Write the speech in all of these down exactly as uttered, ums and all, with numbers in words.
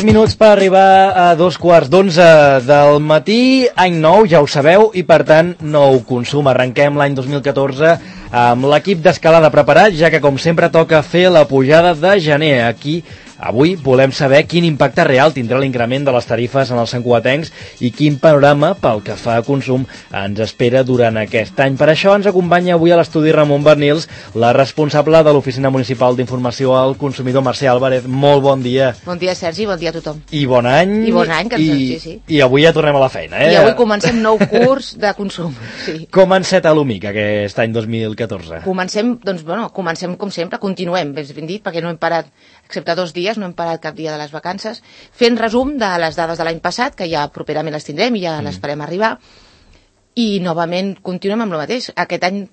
tres minuts per arribar a dos quarts d'onze del matí, any nou, ja ho sabeu, i per tant, nou consum. Arrenquem l'any dos mil catorze amb l'equip d'escalada preparat, ja que com sempre toca fer la pujada de gener. Aquí, avui, volem saber quin impacte real tindrà l'increment de les tarifes en els santcugatencs i quin panorama pel que fa a consum ens espera durant aquest any. Per això ens acompanya avui a l'estudi Ramon Bernils, la responsable de l'Oficina Municipal d'Informació al Consumidor, Mercè Álvarez. Molt bon dia. Bon dia, Sergi, bon dia a tothom. I bon any. I bon any, que ens I, sí, sí. I avui ja tornem a la feina, eh? I avui comencem nou curs de consum. Sí. Com ha enceta l'U M I C aquest any dos mil catorze? Comencem, doncs, bueno, comencem com sempre, continuem, ben dit, perquè no hem parat, excepte dos dies, no hem parat cap dia de les vacances, fent resum de les dades de l'any passat, que ja properament les tindrem i ja mm. les farem arribar, i novament continuem amb el mateix. Aquest any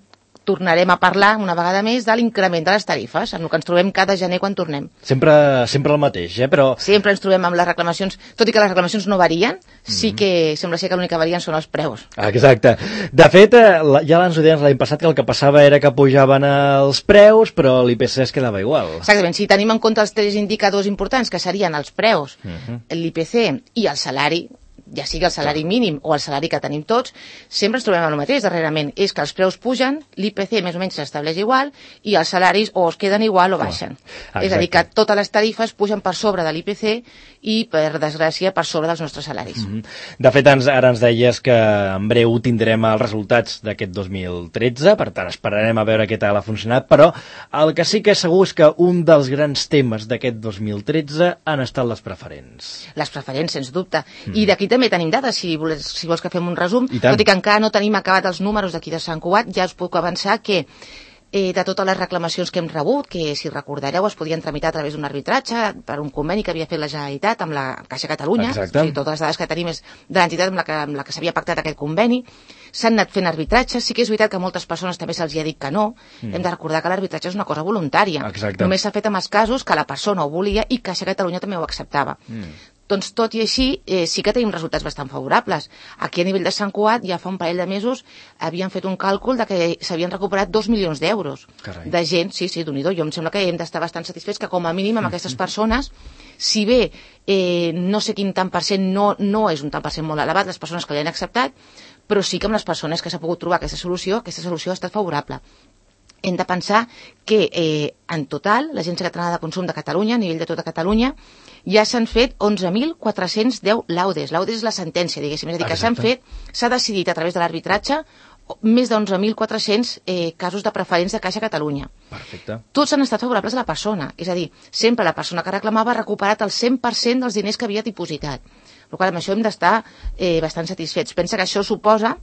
tornarem a parlar una vegada més de l'increment de les tarifes, en el que ens trobem cada gener quan tornem. Sempre, sempre el mateix, eh? Però... Sempre ens trobem amb les reclamacions, tot i que les reclamacions no varien, mm-hmm. sí que sembla ser que l'únic que varien són els preus. Exacte. De fet, ja ens ho deien l'any passat que el que passava era que pujaven els preus, però l'I P C es quedava igual. Exactament. Si tenim en compte els tres indicadors importants, que serien els preus, mm-hmm. l'I P C i el salari, ja sigui el salari mínim o el salari que tenim tots, sempre ens trobem el mateix darrerament. És que els preus pugen, l'I P C més o menys s'estableix igual i els salaris o es queden igual o baixen. Oh, és a dir, que totes les tarifes pugen per sobre de l'I P C i, per desgràcia, per sobre dels nostres salaris. Mm-hmm. De fet, ens, ara ens deies que en breu tindrem els resultats d'aquest dos mil tretze, per tant esperarem a veure què tal ha funcionat, però el que sí que és segur és que un dels grans temes d'aquest dos mil tretze han estat les preferents. Les preferents, sens dubte. Mm. I d'aquí també tenim dades, si vols, si vols que fem un resum, tot i que encara no tenim acabat els números d'aquí de Sant Cugat, ja us puc avançar que eh, de totes les reclamacions que hem rebut, que si recordareu es podien tramitar a través d'un arbitratge per un conveni que havia fet la Generalitat amb la Caixa Catalunya, o sigui, totes les dades que tenim és de l'entitat amb la que, amb la que s'havia pactat aquest conveni, s'han anat fent arbitratges. Sí que és veritat que a moltes persones també se'ls ha dit que no, mm. hem de recordar que l'arbitratge és una cosa voluntària. Exacte. Només s'ha fet en els casos que la persona ho volia i Caixa Catalunya també ho acceptava. Mm. Doncs tot i així, eh, sí que tenim resultats bastant favorables. Aquí a nivell de Sant Cugat, ja fa un parell de mesos, havien fet un càlcul de que s'havien recuperat dos milions d'euros de gent, sí, sí, d'un i do. Jo em sembla que hem d'estar bastant satisfets que com a mínim amb aquestes persones, si bé eh, no sé quin tant per cent, no, no és un tant per cent molt elevat, les persones que l'han acceptat, però sí que amb les persones que s'ha pogut trobar aquesta solució, aquesta solució ha estat favorable. Hem de pensar que eh, en total l'Agència Catalana de Consum de Catalunya, a nivell de tota Catalunya, ja s'han fet onze mil quatre-cents deu laudes. Laudes és la sentència, diguéssim. És a dir, que s'han fet, s'ha decidit a través de l'arbitratge més d'onze mil quatre-cents eh, casos de preferents de Caixa Catalunya. Perfecte. Tots han estat favorables a la persona. És a dir, sempre la persona que reclamava ha recuperat el cent per cent dels diners que havia dipositat. Per tant, amb això hem d'estar eh, bastant satisfets. Pensa que això suposa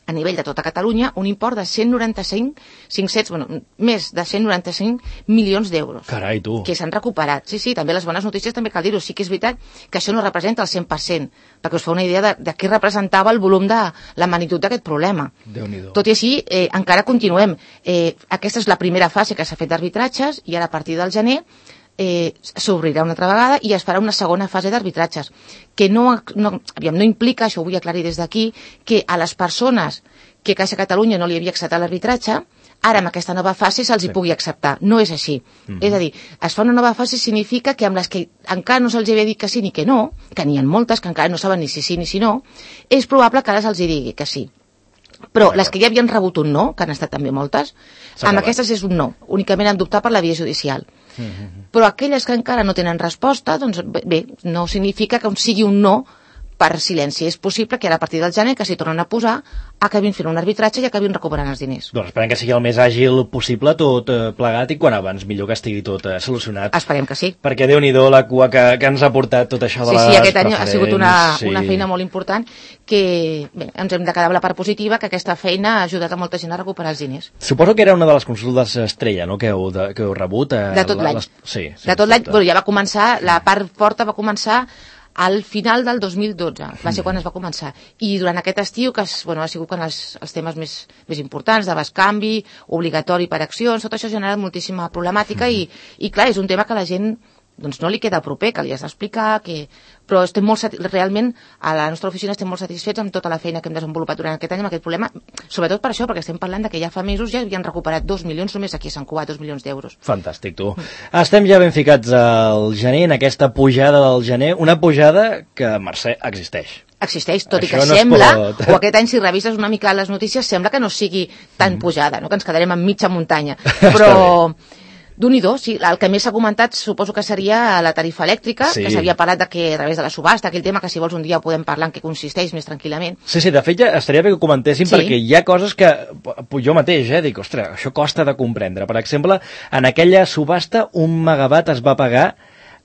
a nivell de tota Catalunya, un import de cent noranta-cinc, cinc-cents, bueno, més de cent noranta-cinc milions d'euros. Carai, tu. Que s'han recuperat. Sí, sí, també les bones notícies també cal dir-ho. Sí que és veritat que això no representa el cent per cent, perquè us fa una idea de, de què representava el volum de la magnitud d'aquest problema. Déu-n'hi-do. Tot i així, eh, encara continuem. Eh, aquesta és la primera fase que s'ha fet d'arbitratges i ara a partir del gener Eh, s'obrirà una altra vegada i es farà una segona fase d'arbitratges que no, no, aviam, no implica, això ho vull aclarir des d'aquí, que a les persones que Caixa Catalunya no li havia acceptat l'arbitratge, ara amb aquesta nova fase se'ls hi sí. pugui acceptar. No és així. Mm-hmm. És a dir, es fa una nova fase significa que amb les que encara no se'ls havia dit que sí ni que no, que n'hi ha moltes que encara no saben ni si sí ni si no, és probable que ara se'ls hi digui que sí. Però les que ja havien rebut un no, que han estat també moltes, amb aquestes és un no. Únicament han d'optar per la via judicial. Mm-hmm. Però aquelles que encara no tenen resposta, doncs bé, no significa que sigui un no per silenci. És possible que ara a partir del gener, que s'hi tornen a posar, acabin fent un arbitratge i acabin recuperant els diners. Doncs esperem que sigui el més àgil possible tot eh, plegat i quan abans millor que estigui tot eh, solucionat. Esperem que sí. Perquè Déu-n'hi-do la cua que, que ens ha portat tot això de sí, les Sí, sí, aquest preferents. any ha sigut una, sí. una feina molt important que bé, ens hem de quedar amb la part positiva, que aquesta feina ha ajudat a molta gent a recuperar els diners. Suposo que era una de les consultes estrella, no?, que heu, de, que heu rebut. Eh, de tot l'any. Les... Sí, sí, de tot l'any, bueno, ja va començar, la part forta va començar al final del dos mil dotze, va ser quan es va començar. I durant aquest estiu, que es, bueno, ha sigut quan els, els temes més, més importants, de bescanvi, obligatori per accions, tot això ha generat moltíssima problemàtica mm. i, i clar, és un tema que la gent doncs no li queda proper, que li has d'explicar, que... però estem molt sati... realment a la nostra oficina estem molt satisfets amb tota la feina que hem desenvolupat durant aquest any amb aquest problema, sobretot per això, perquè estem parlant de que ja fa mesos ja havien recuperat dos milions, només aquí a Sant Cugat, dos milions d'euros. Fantàstic, tu. Mm. Estem ja ben ficats al gener, en aquesta pujada del gener, una pujada que, Mercè, existeix. Existeix, tot Això i que no sembla, pot... o aquest any si revises una mica les notícies, sembla que no sigui tan mm. pujada, no? Que ens quedarem en mitja muntanya, però... D'un-i-do, sí. El que més s'ha comentat suposo que seria la tarifa elèctrica, sí. que s'havia parlat de que a través de la subhasta, aquell tema que si vols un dia podem parlar en què consisteix més tranquil·lament. Sí, sí, de fet ja estaria bé que ho comentéssim sí. perquè hi ha coses que jo mateix, eh, dic, ostres, això costa de comprendre. Per exemple, en aquella subhasta un megawatt es va pagar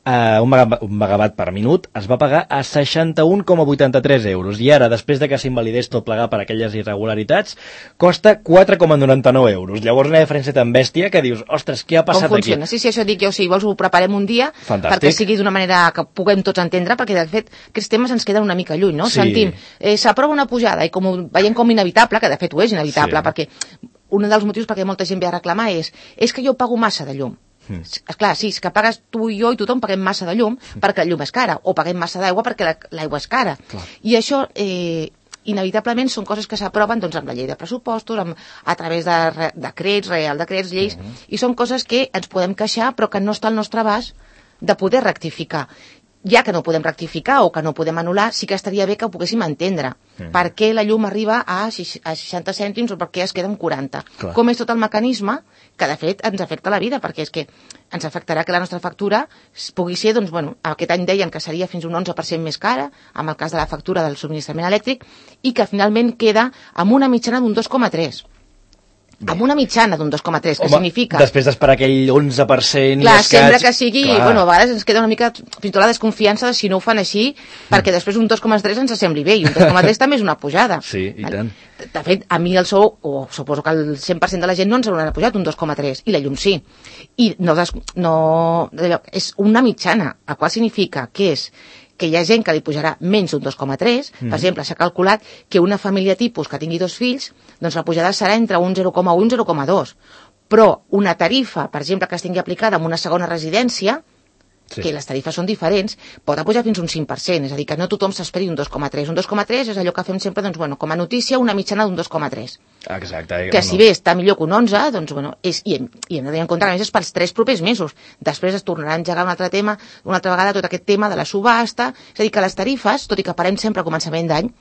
Uh, un, megawatt, un megawatt per minut es va pagar a seixanta-un coma vuitanta-tres euros i ara, després de que s'invalidés tot plegar per aquelles irregularitats, costa quatre coma noranta-nou euros. Llavors una diferència tan bèstia que dius, ostres, què ha passat Com funciona? aquí? Sí, sí, això dic jo, si vols ho preparem un dia Fantàstic. perquè sigui d'una manera que puguem tots entendre, perquè de fet aquests temes ens queden una mica lluny, no? Sí. Sentim, eh, s'aprova una pujada i com ho veiem com inevitable, que de fet ho és inevitable, sí. perquè un dels motius perquè molta gent ve a reclamar és és que jo pago massa de llum. Mm. Esclar, sí, és que pagues tu i jo i tothom paguem massa de llum mm. perquè la llum és cara, o paguem massa d'aigua perquè l'aigua és cara. Clar. I això, eh, inevitablement, són coses que s'aproven doncs, amb la llei de pressupostos, amb, a través de re, decrets, real decrets, lleis, mm -hmm. i són coses que ens podem queixar però que no està al nostre abast de poder rectificar. Ja que no podem rectificar o que no podem anul·lar, sí que estaria bé que ho poguéssim entendre. Mm. Per què la llum arriba a seixanta cèntims o per què es queda en quaranta? Clar. Com és tot el mecanisme que, de fet, ens afecta la vida, perquè és que ens afectarà que la nostra factura pugui ser, doncs, bueno, aquest any deien que seria fins un onze per cent més cara, amb el cas de la factura del subministrament elèctric, i que finalment queda amb una mitjana d'un dos coma tres. Bé. Amb una mitjana d'un dos coma tres, que Home, significa... després d'esperar aquell onze per cent Clar, i escaig... sembla que sigui... Clar. Bueno, a vegades ens queda una mica fins i tot la desconfiança de si no ho fan així, mm. perquè després un dos coma tres ens sembli bé, i un dos coma tres també és una pujada. Sí, i tant. De fet, a mi el sou, o suposo que el cent per cent de la gent no ens haurà pujat un dos coma tres, i la llum sí. I no, des... no... és una mitjana, el qual significa que és que hi ha gent que li pujarà menys d'un dos coma tres, mm. per exemple, s'ha calculat que una família tipus que tingui dos fills, doncs la pujada serà entre un zero coma un i un zero coma dos. Però una tarifa, per exemple, que es tingui aplicada en una segona residència, sí. que les tarifes són diferents, pot pujar fins un cinc per cent, és a dir, que no tothom s'esperi un dos coma tres. Un dos coma tres és allò que fem sempre, doncs, bueno, com a notícia, una mitjana d'un dos coma tres. Exacte. Que si bé està millor que un onze, doncs, bueno, és, i, hem, i hem de tenir en compte que a més és pels tres propers mesos. Després es tornarà a engegar un altre tema, una altra vegada tot aquest tema de la subhasta, és a dir, que les tarifes, tot i que parem sempre a començament d'any,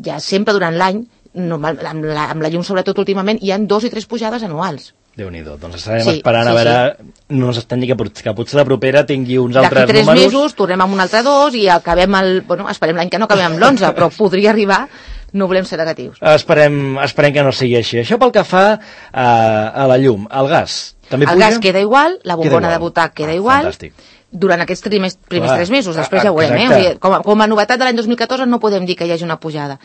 ja sempre durant l'any, normal, amb, la, amb la llum sobretot últimament, hi han dos i tres pujades anuals. Déu-n'hi-do, doncs estarem sí, esperant sí, a veure, sí. no ens estem que, que potser la propera tingui uns altres números. D'aquí tres mesos tornem amb un altre dos i acabem el, bueno, esperem l'any que no acabem amb l'onze, però podria arribar, no volem ser negatius. Esperem, esperem que no sigui així. Això pel que fa a, a la llum, el gas, també el puja? El gas queda igual, la bombona de butac queda ah, igual, fantàstic. Durant aquests primers, primers Clar, tres mesos, després ja ho veurem, eh? O sigui, com, a, com a novetat de l'any dos mil catorze no podem dir que hi hagi una pujada.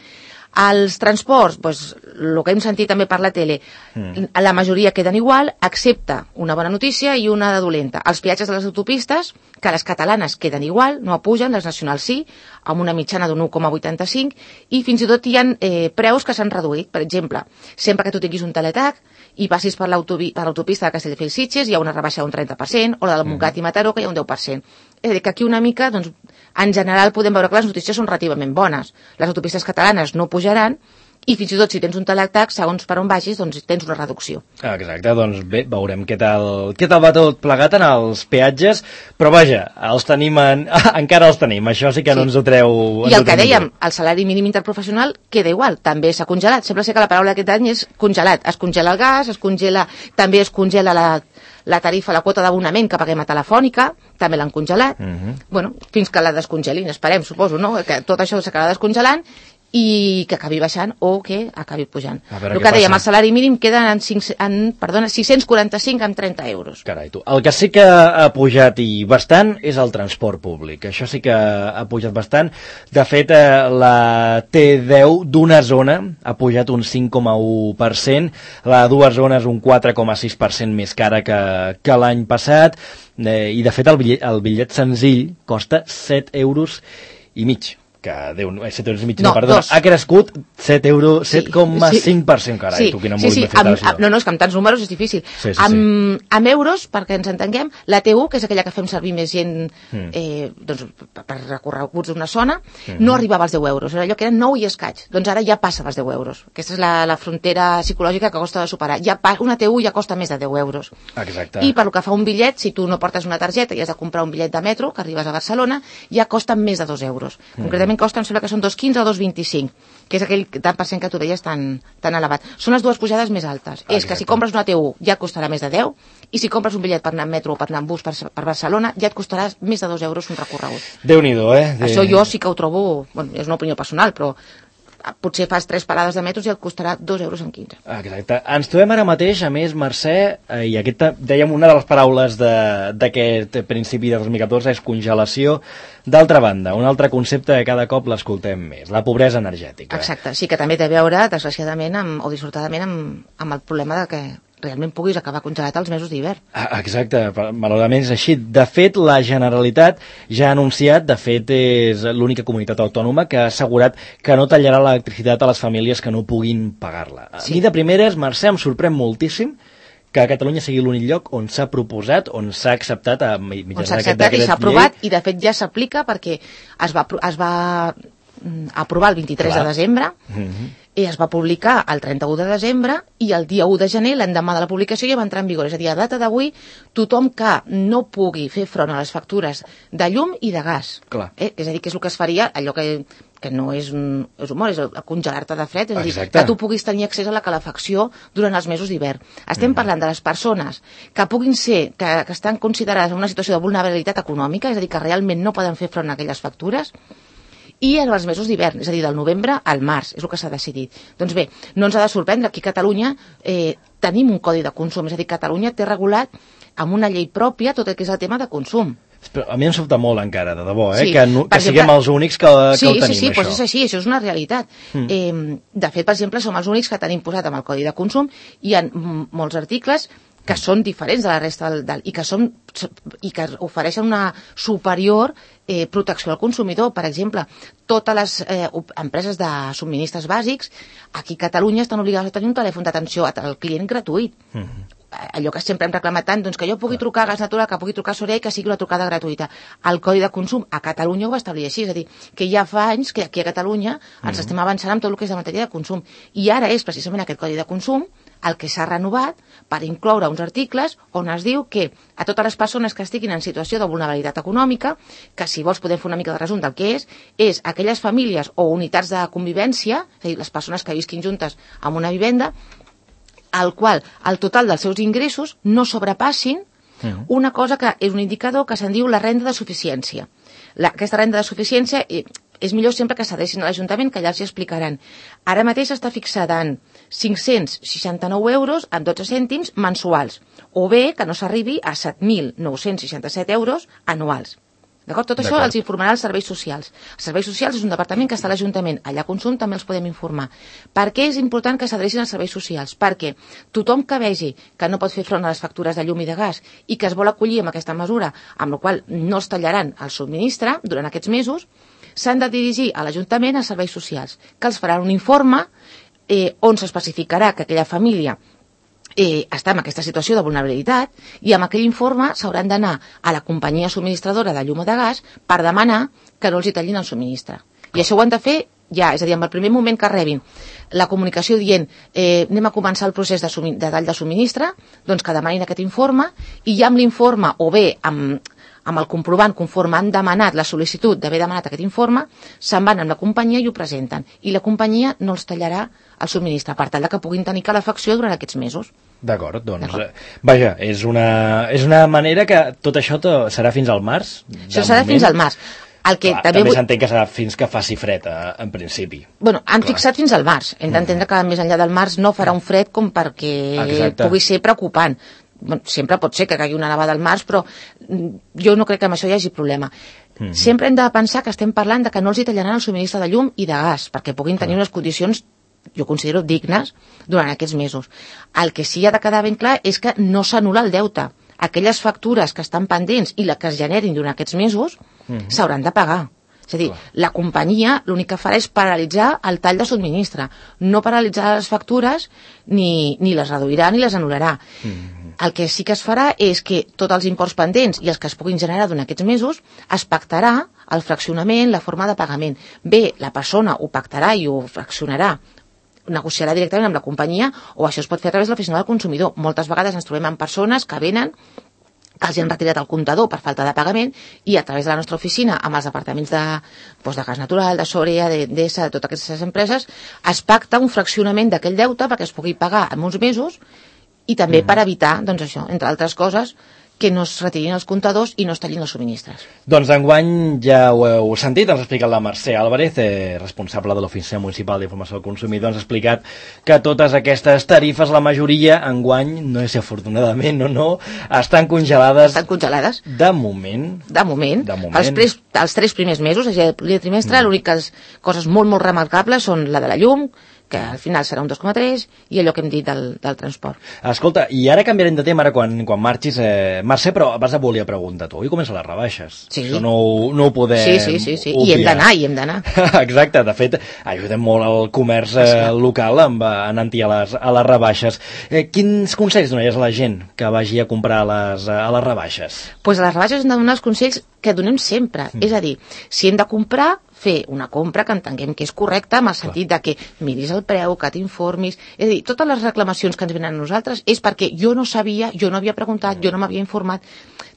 Els transports, doncs, el que hem sentit també per la tele, mm. la majoria queden igual, excepte una bona notícia i una de dolenta. Els peatges de les autopistes, que les catalanes queden igual, no pugen, les nacionals sí, amb una mitjana d'un u coma vuitanta-cinc, i fins i tot hi ha eh, preus que s'han reduït. Per exemple, sempre que tu tinguis un teletac i passis per l'autopista de Castelldefels-Sitges, hi ha una rebaixa d'un trenta per cent, o la del Montgat i Mataró, que hi ha un deu per cent. És a dir, que aquí una mica, doncs, en general podem veure que les notícies són relativament bones. Les autopistes catalanes no pujaran i fins i tot si tens un teletac, segons per on vagis, doncs tens una reducció. Exacte, doncs bé, veurem què tal, què tal va tot plegat en els peatges, però vaja, els tenim en, encara els tenim, això sí que sí. no ens ho treu... I el que dèiem, el salari mínim interprofessional queda igual, també s'ha congelat. Sembla ser que la paraula d'aquest any és congelat. Es congela el gas, es congela, també es congela la... la tarifa, la quota d'abonament que paguem a Telefònica, també l'han congelat. Uh-huh. Bueno, fins que la descongelin, esperem, suposo, no? Que tot això s'acabarà descongelant i que acabi baixant o que acabi pujant. El que dèiem, el salari mínim queda en, cinc, en perdona, sis-cents quaranta-cinc amb trenta euros. Carai, tu. El que sí que ha pujat i bastant és el transport públic. Això sí que ha pujat bastant. De fet, la T deu d'una zona ha pujat un cinc coma u per cent, la de dues zones un quatre coma sis per cent més cara que, que l'any passat, eh, i de fet el bitllet, el bitllet senzill costa set euros i mig, que Déu, set euros i mig, no, no, perdona, dos. ha crescut set euros, set coma cinc per cent, carai, sí, tu quina sí, sí, molt amb, amb, no, no, és que amb tants números és difícil. Sí, sí, amb, sí. amb euros, perquè ens entenguem, la T U, que és aquella que fem servir més gent mm. eh, doncs, per recorreguts d'una zona, mm. no arribava als deu euros, era allò que eren nou i escaig, doncs ara ja passa als deu euros. Aquesta és la, la frontera psicològica que costa de superar. Ja pa, una T U ja costa més de deu euros. Exacte. I per lo que fa un bitllet, si tu no portes una targeta i has de comprar un bitllet de metro, que arribes a Barcelona, ja costa més de dos euros. Mm. Concretament costa, em sembla que són dos coma quinze o dos coma vint-i-cinc, que és aquell tant per cent que tu deies tan, tan elevat. Són les dues pujades més altes. Ah, és que si compres una T U ja et costarà més de deu, i si compres un bitllet per anar en metro o per anar en bus per, per Barcelona ja et costarà més de dos euros un recorregut. Déu-n'hi-do, eh? De... Això jo sí que ho trobo, bueno, és una opinió personal, però potser fas tres parades de metros i et costarà dos euros en quinze. Exacte. Ens trobem ara mateix, a més, Mercè, eh, i aquesta, dèiem, una de les paraules d'aquest principi de dos mil catorze és congelació. D'altra banda, un altre concepte que cada cop l'escoltem més, la pobresa energètica. Exacte, sí que també té a veure, desgraciadament, amb, o dissortadament, amb, amb el problema de que realment puguis acabar congelat als mesos d'hivern. Ah, exacte, malauradament és així. De fet, la Generalitat ja ha anunciat, de fet és l'única comunitat autònoma que ha assegurat que no tallarà l'electricitat a les famílies que no puguin pagar-la. Sí. A mi de primeres, Mercè, em sorprèn moltíssim que Catalunya sigui l'únic lloc on s'ha proposat, on s'ha acceptat a mitjançant on s'ha acceptat i s'ha aprovat, i de fet ja s'aplica perquè es va, es va aprovar el vint-i-tres Clar. de desembre, mm-hmm. i es va publicar el trenta-u de desembre, i el dia u de gener, l'endemà de la publicació, ja va entrar en vigor. És a dir, a data d'avui, tothom que no pugui fer front a les factures de llum i de gas, eh? És a dir, que és el que es faria, allò que, que no és, un, és humor, és congelar-te de fred, és a dir, Exacte. que tu puguis tenir accés a la calefacció durant els mesos d'hivern. Estem mm. parlant de les persones que puguin ser, que, que estan considerades en una situació de vulnerabilitat econòmica, és a dir, que realment no poden fer front a aquelles factures, i en els mesos d'hivern, és a dir, del novembre al març, és el que s'ha decidit. Doncs bé, no ens ha de sorprendre, aquí a Catalunya eh, tenim un codi de consum, és a dir, Catalunya té regulat amb una llei pròpia tot el que és el tema de consum. Però a mi em sobta molt encara, de debò, eh? Sí, que, no, que exemple, siguem els únics que, que sí, ho tenim, sí, sí, això. Doncs és així, això és una realitat. Mm. Eh, de fet, per exemple, som els únics que tenim posat amb el codi de consum, i hi ha molts articles que són diferents de la resta del, del, i, que són, i que ofereixen una superior eh, protecció al consumidor. Per exemple, totes les eh, empreses de subministres bàsics aquí a Catalunya estan obligades a tenir un telèfon d'atenció al client gratuït. Mm-hmm. Allò que sempre hem reclamat tant, doncs que jo pugui trucar a Gas Natural, que pugui trucar a Sorea i que sigui una trucada gratuïta. El Codi de Consum a Catalunya ho va establir així, és a dir, que ja fa anys que aquí a Catalunya ens mm-hmm. estem avançant amb tot el que és de matèria de consum. I ara és precisament aquest Codi de Consum el que s'ha renovat per incloure uns articles on es diu que a totes les persones que estiguin en situació de vulnerabilitat econòmica, que si vols podem fer una mica de resum del que és, és aquelles famílies o unitats de convivència, és a dir, les persones que visquin juntes en una vivenda, al qual el total dels seus ingressos no sobrepassin uh-huh. una cosa que és un indicador que se'n diu la renda de suficiència. La, aquesta renda de suficiència eh, és millor sempre que s'adrecin a l'Ajuntament, que allà els hi explicaran. Ara mateix està fixada en cinc-cents seixanta-nou euros amb dotze cèntims mensuals, o bé que no s'arribi a set mil nou-cents seixanta-set euros anuals. D'acord? Tot això els informarà els serveis socials. Els serveis socials és un departament que està a l'Ajuntament. Allà a Consum també els podem informar. Per què és important que s'adrecin als serveis socials? Perquè tothom que vegi que no pot fer front a les factures de llum i de gas i que es vol acollir amb aquesta mesura, amb la qual no es tallaran el subministre durant aquests mesos, s'han de dirigir a l'Ajuntament als serveis socials, que els faran un informe eh, on s'especificarà que aquella família Eh, està en aquesta situació de vulnerabilitat, i amb aquell informe s'hauran d'anar a la companyia subministradora de llum o de gas per demanar que no els hi tallin el subministre. I això ho han de fer ja, és a dir, en el primer moment que rebin la comunicació dient eh, anem a començar el procés de, de tall de subministre, doncs que demanin aquest informe, i ja amb l'informe o bé amb, amb el comprovant conforme han demanat la sol·licitud d'haver demanat aquest informe, se'n van amb la companyia i ho presenten. I la companyia no els tallarà el subministre, per tal que puguin tenir calefacció durant aquests mesos. D'acord, doncs, eh, vaja, és una, és una manera que tot això serà fins al març? Això serà moment. fins al març. El que Clar, també també vull... s'entén que serà fins que faci fred, eh, en principi. Bueno, han Clar. fixat fins al març. Hem d'entendre que més enllà del març no farà un fred com perquè Exacte. pugui ser preocupant. Bueno, sempre pot ser que caigui una nevada al març, però jo no crec que amb això hi hagi problema. Mm-hmm. Sempre hem de pensar que estem parlant de que no els hi tallaran el subministre de llum i de gas, perquè puguin tenir unes condicions, jo considero, dignes durant aquests mesos. El que sí ha de quedar ben clar és que no s'anul·la el deute. Aquelles factures que estan pendents i les que es generin durant aquests mesos mm-hmm. s'hauran de pagar. És a dir, Clar. la companyia l'únic que farà és paralitzar el tall de subministre, no paralitzar les factures ni, ni les reduirà ni les anul·larà. Mm. El que sí que es farà és que tots els imports pendents i els que es puguin generar durant aquests mesos es pactarà el fraccionament, la forma de pagament. Bé, la persona ho pactarà i ho fraccionarà, negociarà directament amb la companyia, o això es pot fer a través de l'oficina del consumidor. Moltes vegades ens trobem amb persones que venen, que els han retirat el comptador per falta de pagament, i a través de la nostra oficina, amb els departaments de, doncs de gas natural, de Sorea, de d'Esa, de totes aquestes empreses, es pacta un fraccionament d'aquell deute perquè es pugui pagar en uns mesos, i també mm. per evitar, doncs això, entre altres coses, que no es retirin els comptadors i no es tallin els subministres. Doncs enguany ja ho heu sentit, ens ha explicat la Mercè Álvarez, eh, responsable de l'Oficina Municipal d'Informació al Consumidor, ens ha explicat que totes aquestes tarifes, la majoria, enguany, no sé si afortunadament o no, estan congelades. Estan congelades. De moment. De moment. De moment. Els, tres, els tres primers mesos, és a dir, el primer trimestre, mm. l'úniques coses molt, molt remarcables són la de la llum, que al final serà un dos coma tres, i allò que hem dit del, del transport. Escolta, i ara canviarem de tema, ara quan, quan marxis, eh, Mercè, però abans et volia preguntar, tu, i comencen les rebaixes? Sí. Això no, no ho podem Sí, sí, sí, sí. I hem d'anar, i hem d'anar. Exacte, de fet, ajudem molt el comerç eh, local amb, en anti a les, a les rebaixes. Eh, quins consells donaries a la gent que vagi a comprar a les, a les rebaixes? Doncs pues a les rebaixes hem de donar els consells que donem sempre. Mm. És a dir, si hem de comprar, fer una compra que entenguem que és correcta, amb el sentit de que miris el preu, que t'informis. És a dir, totes les reclamacions que ens venen a nosaltres és perquè jo no sabia, jo no havia preguntat, jo no m'havia informat.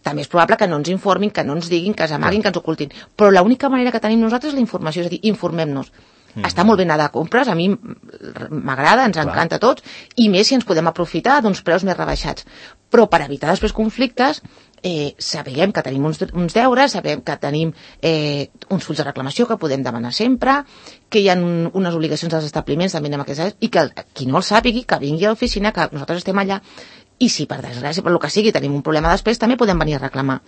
També és probable que no ens informin, que no ens diguin, que s'amaguin, que ens ocultin. Però l'única manera que tenim nosaltres és la informació, és a dir, informem-nos. Mm. Està molt bé anar de compres, a mi m'agrada, ens Clar. encanta a tots, i més si ens podem aprofitar d'uns preus més rebaixats. Però per evitar després conflictes, eh, sabem que tenim uns, uns deures, sabem que tenim eh, uns fulls de reclamació que podem demanar sempre, que hi ha un, unes obligacions dels establiments també en aquestes, i que el, qui no el sàpigui, que vingui a l'oficina, que nosaltres estem allà, i si per desgràcia, per el que sigui, tenim un problema després, també podem venir a reclamar.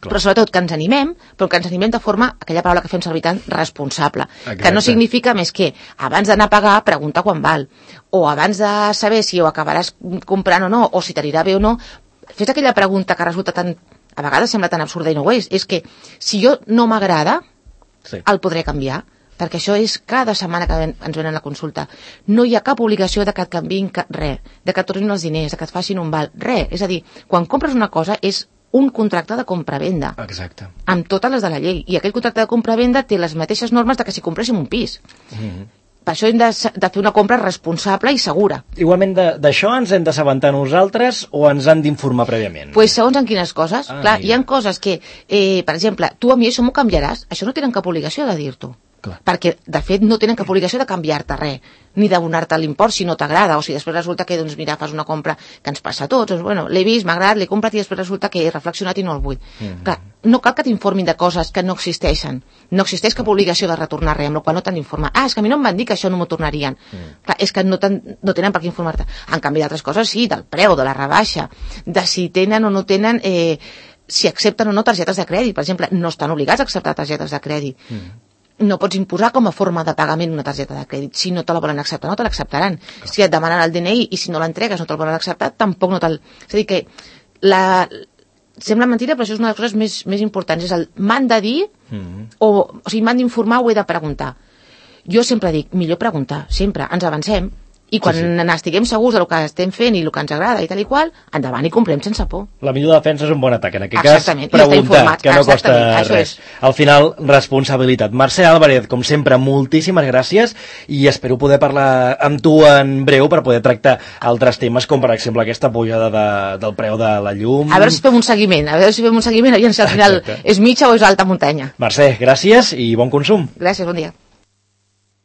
Clar. Però sobretot que ens animem, però que ens animem de forma, aquella paraula que fem servir tant, responsable. Exacte. Que no significa més que abans d'anar a pagar, preguntar quan val, o abans de saber si ho acabaràs comprant o no, o si t'anirà bé o no, fes aquella pregunta que resulta tan, a vegades sembla tan absurda i no ho és, és que si jo no m'agrada, sí. el podré canviar, perquè això és cada setmana que ens venen a la consulta. No hi ha cap obligació de que et canviïn res, de que et tornin els diners, de que et facin un val, res. És a dir, quan compres una cosa és un contracte de compra-venda. Exacte. Amb totes les de la llei. I aquell contracte de compra-venda té les mateixes normes de que si compréssim un pis. Mm-hmm. Per això hem de, de fer una compra responsable i segura. Igualment, d'això ens hem d'assabentar nosaltres o ens han d'informar prèviament? Doncs pues segons en quines coses. Ah, Clar, mira. Hi ha coses que, eh, per exemple, tu a mi això m'ho canviaràs, això no tenen cap obligació de dir-t'ho. Clar. Perquè, de fet, no tenen cap obligació de canviar-te res, ni d'abonar-te l'import si no t'agrada, o si després resulta que, doncs, mira, fas una compra que ens passa a tots, doncs, bueno, l'he vist, m'ha agradat, l'he comprat i després resulta que he reflexionat i no el vull. Mm-hmm. Clar, no cal que t'informin de coses que no existeixen. No existeix cap obligació de retornar res, amb la qual no t'han d'informar. Ah, és que a mi no em van dir que això no m'ho tornarien. Mm. Clar, és que no, no tenen per què informar-te. En canvi, d'altres coses sí, del preu, de la rebaixa, de si tenen o no tenen... Eh, si accepten o no targetes de crèdit. Per exemple, no estan obligats a acceptar targetes de crèdit. Mm. No pots imposar com a forma de pagament una targeta de crèdit. Si no te la volen acceptar, no te l'acceptaran. Clar. Si et demanen el D N I i si no l'entregues no te'l volen acceptar, tampoc no te'l... És a dir que la... sembla mentida, però això és una de les coses més, més importants. És el m'han de dir mm-hmm. o, o sigui, m'han d'informar o he de preguntar. Jo sempre dic, millor preguntar, sempre, ens avancem. I quan sí, sí. estiguem segurs del que estem fent i el que ens agrada i tal i qual, endavant i comprem sense por. La millor defensa és un bon atac. En aquest Exactament. cas, preguntar, que no costa res. És. Al final, responsabilitat. Mercè Álvarez, com sempre, moltíssimes gràcies i espero poder parlar amb tu en breu per poder tractar altres temes, com per exemple aquesta pujada de, del preu de la llum. A veure si fem un seguiment, a veure si fem un seguiment, aviam si al final Exacte. és mitja o és alta muntanya. Mercè, gràcies i bon consum. Gràcies, bon dia.